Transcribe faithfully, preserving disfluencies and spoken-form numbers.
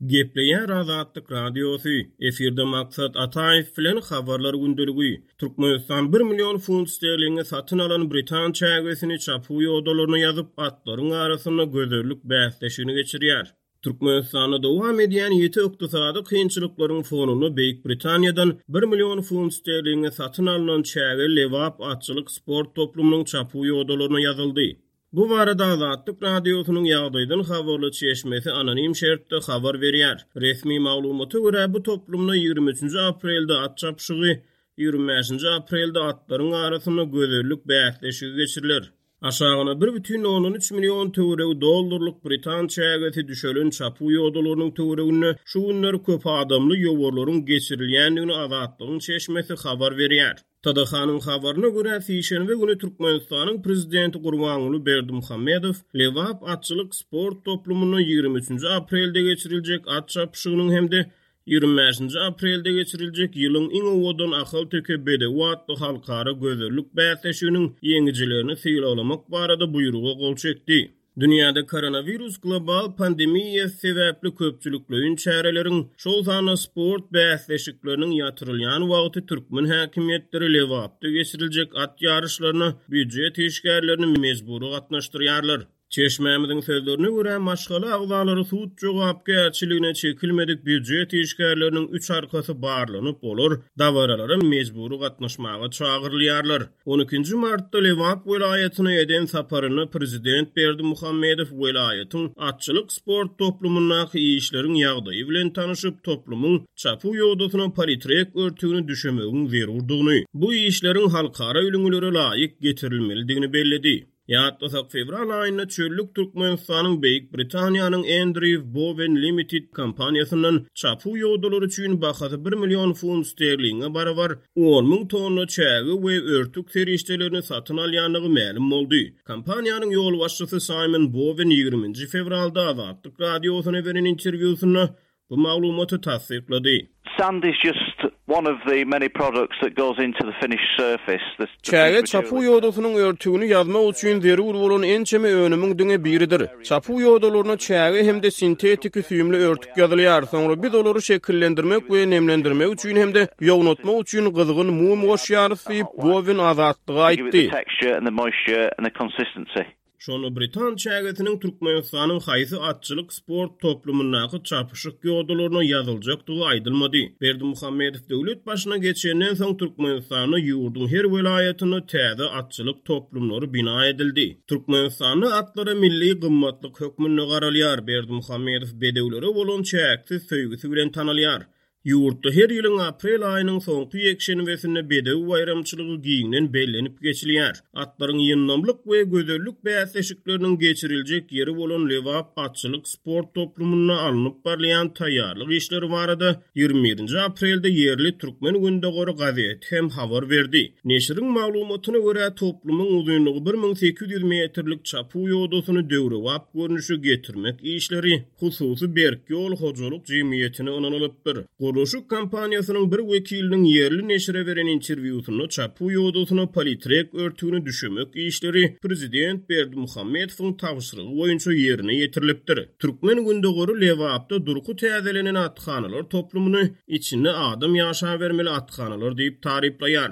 Gepleýär Azatlyk Radiosy, efirde Maksat Ataýew bilen Habarlar gündeligi. Türkmenistan bir million funt sterlinge satyn alan britan çägesini çapuw ýodalaryna ýazyp, atlaryň arasynda gözellik bäsleşigini geçirýär. Türkmenistanda dowam edýän ýiti ykdysady kynçylyklaryň fonunda Beýik Britaniýadan bir million funt sterlinge satyn alnan çäge Lebap atçylyk sport toplumynyň çapuw ýodalaryna ýazyldy. Bu barada Azatlyk Radiosynyň ýagdaýdan habarly çeşmesi anonim şertde habar berýär. Resmi maglumata görä, bu toplumda ýigrimi üçünji aprelde at çapyşygy, ýigrimi bäşinji aprelde atlaryň arasynda gözellik bäsleşigi geçiriler. Aşagyna bir bütin ondan üç million töweregi dollarlyk britan çägesi düşelen çapuw ýodalarynyň töwereginde şu günler köp adamly ýowarlaryň geçirilýändigini Azatlygyň çeşmesi habar berýär. T D H-nyň habaryna görä, sişenbe güni Türkmenistanyň prezidenti Gurbanguly Berdimuhamedow Lebap atçylyk sport toplumynda ýigrimi üçünji aprelde geçiriljek at çapyşygynyň hem-de ýigrimi bäşinji aprelde geçiriljek ýylyň iň owadan ahalteke bedewi atly halkara gözellik bäsleşiginiň ýeňijilerini sylaglamak barada buýruga gol çekdi. Dünýäde koronawirus global pandemiýasy sebäpli köpçülikleýin çäreleriň, şol sanda sport bäsleşikleriniň ýatyrylýan wagty türkmen häkimiýetleri Lebapda geçiriljek at ýaryşlaryna býujet işgärlerini mejbury gatnaşdyrýarlar. Çeşmämiziň sözlerine görä, maşgala agzalary sud jogapkärçiligine çekilmedik býujet işgärleriniň üç arkasy barlanyp, olar dabaralara mejbury gatnaşmaga çagyrylýarlar. On ikinji martda Lebap welaýatyna eden saparynda prezident Berdimuhamedow welaýatyň atçylyk sport toplumyndaky işleriň ýagdaýy bilen tanyşyp, toplumyň çapuw ýodasyna politrek örtügini düşemegiň zerurdygyny, bu işleriň halkara ülňülere laýyk getirilmelidigini belledi. Ýatlasak, fewral aýynda çöllük Türkmenistanyň Beýik Britaniýanyň Andrew Bowen Limited kompaniýasyndan çapuw ýodalary üçin bahasy bir million funt sterlinge barabar on müň tonna çäge we örtük serişdelerini satyn alýandygy mälim boldy. Kompaniýanyň ýolbaşçysy Simon Bowen ýigriminji fewralda Azatlyk Radiosyna beren interwýusynda bu maglumaty tassyklady. Sand is just one of the many products that goes into the finished surface. The, the Çäge çapuw ýodasynyň örtügini ýazmak üçin zerur bolan ençeme önümiň diňe biridir. Çapuw ýodalaryna çäge hem-de sintetiki süýümli örtük ýazylýar. Soňra biz olary şekillendirmek we nemlendirmek üçin hem-de ýognatmak üçin gyzgyn mum goşýarys diýip, Bowen Azatlyga give it the aýtdy. texture and the moisture and the consistency. Şonda britan çägesiniň Türkmenistanyň haýsy atçylyk sport toplumyndaky çapyşyk ýodalaryna ýazyljakdygy aýdylmady. Berdimuhamedow döwlet başyna geçenden soň Türkmenistanda ýurduň her welaýatynda täze atçylyk toplumlary bina edildi. Türkmenistanda atlara milli gymmatlyk hökmünde garalýar. Berdimuhamedow bedewlere bolan çäksiz söýgüsi bilen tanalýar. Ýurtda her ýylyň aprel aýynyň soňky ýekşenbesinde bedew baýramçylygy giňden bellenip geçilýär. Atlaryň ýyndamlyk we gözellik bäsleşikleriniň geçiriljek ýeri bolan Lebap atçylyk sport toplumynda alnyp barylýan taýýarlyk işleri barada ýigrimi birinji aprelde ýerli Türkmen Gündogary gazeti hem habar berdi. Neşiriň maglumatyna görä, toplumyň uzynlygy bir müň sekiz ýüz metrlik çapuw ýodasyny döwrebap görnüşe getirmek işleri hususy Berk ýol hojalyk jemgyýetine ynanylypdyr. Gurluşyk kompaniýasynyň bir wekiliniň ýerli neşire beren interwýusynda çapuw ýodasyna politrek örtügini düşemek işleri prezident Berdimuhamedowyň tabşyrygy boýunça ýerine ýetirilipdir. Türkmen Gündogary Lebapda durky täzelenen athanalar toplumyny içinde adam ýaşabermeli athanalar diýip taryplaýar.